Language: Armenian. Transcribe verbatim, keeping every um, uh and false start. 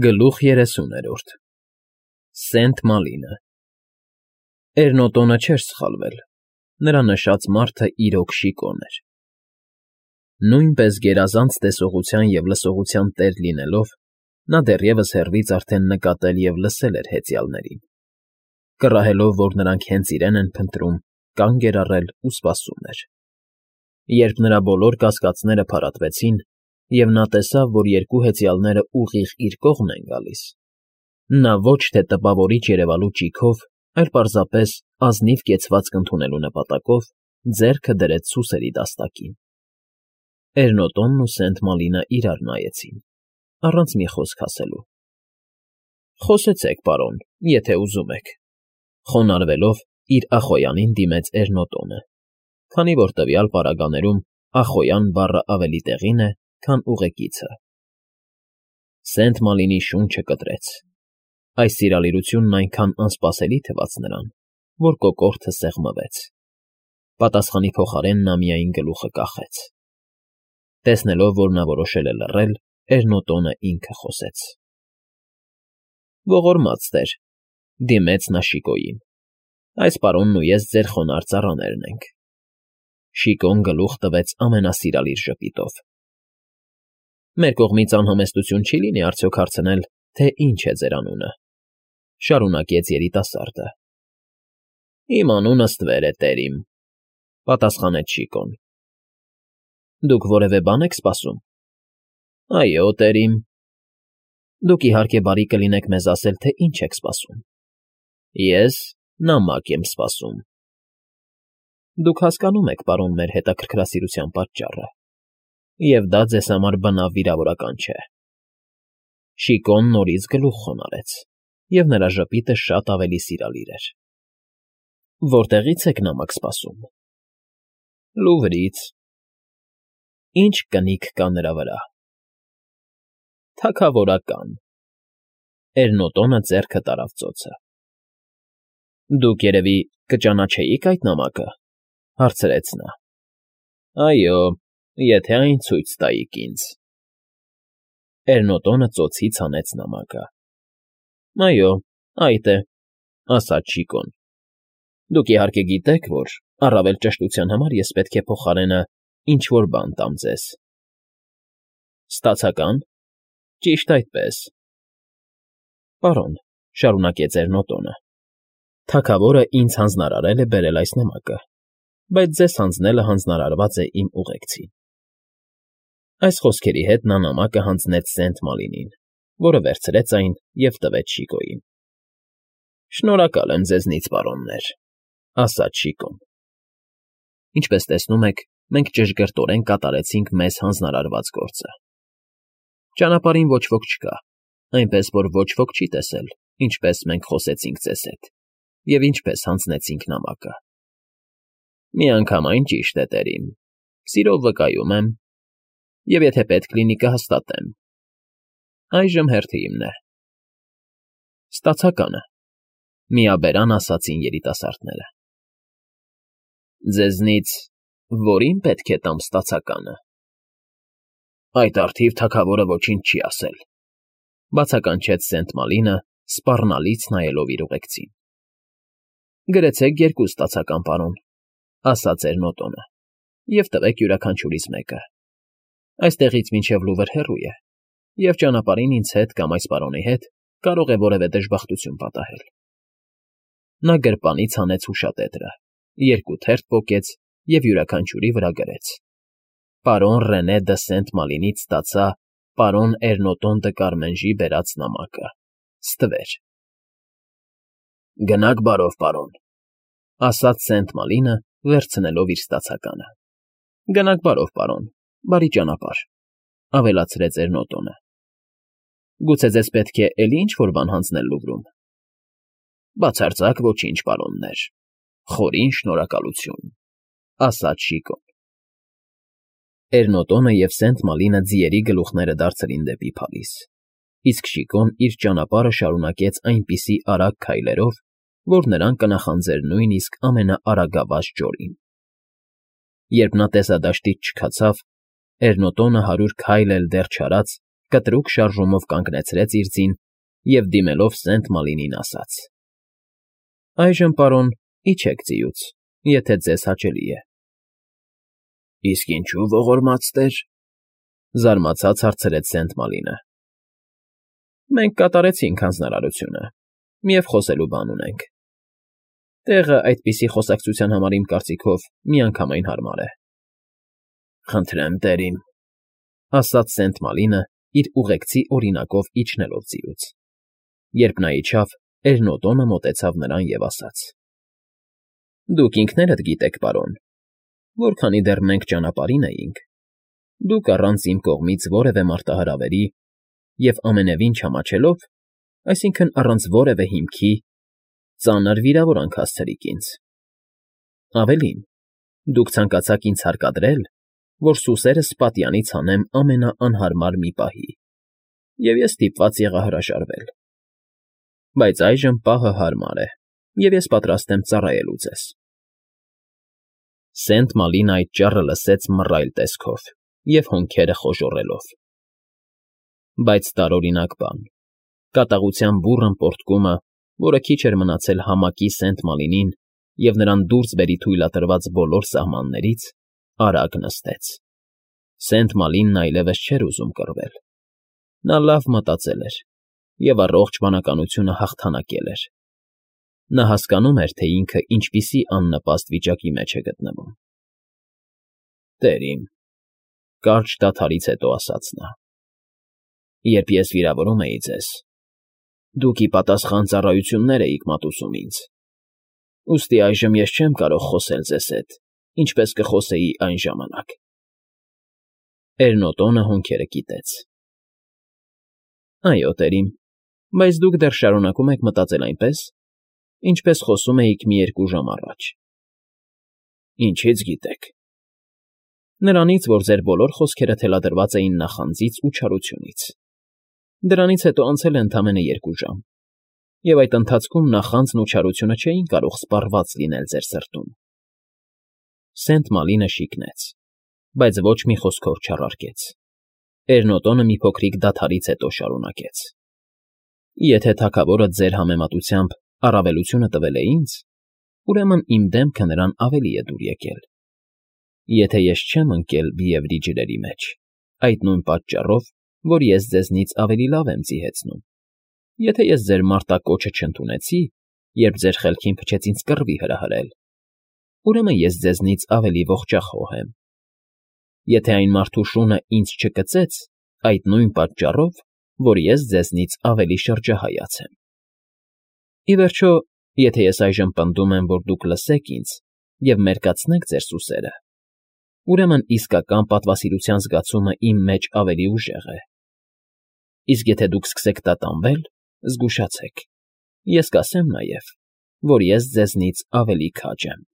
Գլուխ երեսուներորդ Սենթ Մալինը Էրնոտոնը չէր սխալվել, նրա նշած մարդը իրոք Շիկոն էր։ Նույնպես գերազանց տեսողության և լսողության տեր լինելով, նա դեռևս հեռվից արդեն նկատել և լսել էր հեծյալներին, կռահելով, որ նրանք հենց իրեն են փնտրում, կանգ էր առել ու սպասում էր։ Երբ նրա բոլոր կասկածները փարատվեցին, և նա տեսավ, որ երկու հեծյալները ուղիղ իր կողմն են գալիս, նա ոչ թե տպավորիչ երևալու ճիգով, այլ պարզապես ազնիվ կեցվածք ընդունելու նպատակով ձեռքը դրեց սուսերի դաստակին։ Էրնոտոնն ու Սենթ Մալինը իրար նայեցին, առանց մի խոսք ասելու։ ֊ Խոսեցեք, պարոն, եթե ուզում եք,֊ խոնարհվելով իր ախոյանին դիմեց Էրնոտոնը, քանի որ տվյալ պարագաներում ախոյան բառը ավելի տեղին է, քան ուղեկիցը։ Սենթ Մալինի շունչը կտրեց։ Այս սիրալիրությունն այնքան անսպասելի թվաց նրան, որ կոկորդը սեղմվեց։ Պատասխանի փոխարեն նա միայն գլուխը կախեց։ Տեսնելով, որ նա որոշել է լռել, Էրնոտոնը ինքը խոսեց. ֊ Ողորմած տեր,֊ դիմեց նա Շիկոյին,֊ այս պարոնն ու ես ձեր խոնարհ ծառաներն ենք։ Շիկոն գլուխ տվեց ամենասիրալիր ժպիտով։ ֊ Մեր կողմից անհամեստություն չի լինի արդյոք հարցնել, թե ինչ է ձեր անունը,֊ շարունակեց երիտասարդը։ ֊ Իմ անունը ստվեր է, տեր իմ,֊ պատասխանեց Շիկոն։ ֊ Դուք որևէ բան եք սպասում։ ֊ Այո, տեր իմ։ ֊ Դուք, իհարկե, բարի կլինեք մեզ ասել, թե ինչ եք սպասում։ ֊ Ես նամակ եմ սպասում։ ֊ Դուք հասկանում եք, պարոն, մեր հետաքրքրասիրության պատճառը, և դա ձեզ համար բնավ վիրավորական չէ։ Շիկոն նորից գլուխ խոնարհեց, և նրա ժպիտը շատ ավելի սիրալիր էր։ ֊ Որտեղի՞ց եք նամակ սպասում։ ֊ Լուվրից։ ֊ Ի՞նչ կնիկ կա նրա վրա։ ֊ Թագավորական։ Էրնոտոնը ձեռքը տարավ ծոցը։ ֊ Դուք, երևի, կճանաչեիք այդ նամակը,֊ հարցրեց նա։ ֊ Այո, եթե այն ցույց տայիք ինձ։ Էրնոտոնը ծոցից հանեց նամակը։ ֊ Այո, այդ է,֊ ասաց Շիկոն։ ֊ Դուք, իհարկե, գիտեք, որ, առավել ճշտության համար, ես պետք է փոխարենը ինչ֊որ բան տամ ձեզ։ ֊ Ստացական։ ֊ Ճիշտ այդպես։ ֊ Պարոն,֊ շարունակեց Էրնոտոնը,֊ թագավորը ինձ հանձնարարել է բերել այս նամակը, բայց ձեզ հանձնելը հանձնարարված է իմ ուղեկցին։ Այս խոսքերի հետ նա նամակը հանձնեց Սենթ Մալինին, որը վերցրեց այն և տվեց Շիկոյին։ ֊ Շնորհակալ եմ ձեզնից, պարոններ,֊ ասաց Շիկոն։ Ինչպես տեսնում եք, մենք ճշգրտորեն կատարեցինք մեզ հանձնարարված գործը։ Ճանապարհին ոչ ոք չկա, այնպես որ ոչ ոք չի տեսել, ինչպես մենք խոսեցինք ձեզ հետ և ինչպես հանձնեցինք նամակը։ Միանգամայն ճիշտ է, տեր իմ, սիրով վկայում եմ, և եթե պետք լինի, կհաստատեմ։ Այժմ հերթը իմն է։ ֊ Ստացականը,֊ միաբերան ասացին երիտասարդները։ ֊ Ձեզնից որի՞ն պետք է տամ ստացականը։ ֊ Այդ առթիվ թագավորը ոչինչ չի ասել,֊ բացականչեց Սենթ Մալինը, սպառնալից նայելով իր ուղեկցին։ ֊ Գրեցեք երկու ստացական, պարոն,֊ ասաց Էրնոտոնը,֊ և տվեք յուրաքանչյուրից մեկը։ Այստեղից մինչև Լուվր հեռու է, և ճանապարհին ինձ հետ կամ այս պարոնի հետ կարող է որևէ դժբախտություն պատահել։ Նա գրպանից հանեց հուշատետրը, երկու թերթ պոկեց և յուրաքանչյուրի վրա գրեց. Պարոն Ռենե դը Սենթ Մալինից ստացա պարոն Էրնոտոն դը Կարմենժի բերած նամակը, ստվեր։ ֊ Գնաք բարով, պարոն,֊ ասաց Սենթ Մալինը, վերցնելով իր ստացականը։ ֊ Գնաք բարով, պարոն, բարի ճանապարհ,֊ ավելացրեց Էրնոտոնը։ ֊ Գուցե ձեզ պետք է էլի ինչ֊որ բան հանձնել Լուվրում։ ֊ Բացարձակ ոչինչ, պարոններ, խորին շնորհակալություն,֊ ասաց Շիկոն։ Էրնոտոնը և Սենթ Մալինը ձիերի գլուխները դարձրին դեպի փալիս, իսկ Շիկոն իր ճանապարհը շարունակեց այնպիսի արագ քայլերով, որ նրան կնախանձեր նույնիսկ ամենաարագավազ ճորին։ Երբ նա տեսադաշտից չքացավ, Էրնոտոնը հարյուր քայլ էլ դեռ չարած, կտրուկ շարժումով կանգնեցրեց իր ձին և դիմելով Սենտ Մալինին ասաց. ֊ Այժմ, պարոն, իջեք ձիուց, եթե ձեզ հաճելի է։ ֊ Իսկ ինչո՞ւ ողորմած տեր,֊ զարմացած հարցրեց Սենտ Մալինը։ ֊ Մենք կատարեցինք հանձնարարությունը և խոսելու բան ունենք. տեղը այդպիսի խոսակցության համար, իմ կարծիքով, միանգամայն հարմար է։ ֊ Խնդրեմ, տերին,֊ ասաց Սենտ Մալինը իր ուղեկցի օրինակով իջնելով ձիուց. երբ նա իջավ, Էրնոտոնը մոտեցավ նրան և ասաց. «Դուք ինքներդ գիտեք, պարոն, որքանի դեռ մենք ճանապարհին էինք, դուք առանց իմ կողմից որևէ մարտահրավերի և ամենևին չամաչելով, այսինքն՝ առանց որևէ հիմքի, ծանր վիրավորանք հասցրիք ինձ։ Ավելին, դուք ցանկացաք ինձ հարկադրել, որ սուսերս պատյանից հանեմ ամենաանհարմար մի պահի, և ես ստիպված եղա հրաժարվել։ Բայց այժմ պահը հարմար է, և ես պատրաստ եմ ծառայելու ձեզ»։ Սենտ Մալինը այդ ճառը լսեց մռայլ տեսքով և հոնքերը խոժոռելով։ Բայց տարօրինակ բան, կատաղության բուռն պոռթկումը, որը քիչ էր մնացել համակի Սենտ Մալինին և նրան դուրս բերի թույլատրված բոլոր սահմաններից, արագ նստեց։ Սենտ Մալինն այլևս չէր ուզում կռվել։ Նա լավ մտածել էր և առողջ բանականությունը հաղթանակել էր։ Նա հասկանում էր, թե ինքը ինչպիսի աննպաստ վիճակի մեջ է գտնվում։ ֊ Տերին,֊ կարճ դադարից հետո ասաց նա,֊ երբ ես վիրավորում էի ձեզ, դուք ի պատասխան ծառայություններ էիք մատուցում ինձ, ուստի այժմ ես չեմ կարող խոսել ձեզ հետ, ինչպես կխոսեի այն ժամանակ։ Էրնոտոնը հոնքերը կիտեց։ ֊ Այո, տերին, բայց դուք դեռ շարունակում եք մտածել այնպես, ինչպես խոսում էիք մի երկու ժամ առաջ։ ֊ Ինչի՞ց գիտեք։ ֊ Նրանից, որ ձեր բոլոր խոսքերը թելադրված էին նախանձից ու չարությունից։ Դրանից հետո անցել է ընդամենը երկու ժամ, և այդ ընթացքում նախանձն ու չարությունը չէին կարող սպառված լինել ձեր սրտում։ Սենտ Մալինը շիկնեց, բայց ոչ մի խոսքով չառարկեց։ Էրնոտոնը մի փոքրիկ դադարից հետո շարունակեց. ֊ Եթե թագավորը ձեր համեմատությամբ առավելությունը տվել է ինձ, ուրեմն իմ դեմքը նրան ավելի է դուր եկել։ Եթե ես չեմ ընկել բիևրի ջրերի մեջ, այդ նույն պատճառով, որ ես ձեզնից ավելի լավ եմ ձիհեցնում, եթե ես ձեր մարտակոչը չընդունեցի, երբ ձեր խելքին փչեց ինձ կռվի հրահրել, ուրեմն ես ձեզնից ավելի ողջախոհ եմ։ Եթե այն մարդու շունը ինձ չկծեց, այդ նույն պատճառով, որ ես ձեզնից ավելի շրջահայաց եմ։ Ի վերջո, եթե ես այժմ պնդում եմ, որ դուք լսեք ինձ և մերկացնեք ձեր սուսերը, ուրեմն իսկական պատվասիրության զգացումը իմ մեջ ավելի ուժեղ է։ Իսկ եթե դուք սկսեք տատանվել, զգուշացեք, ես կասեմ նաև, որ ես ձեզնից ավելի քաջ եմ։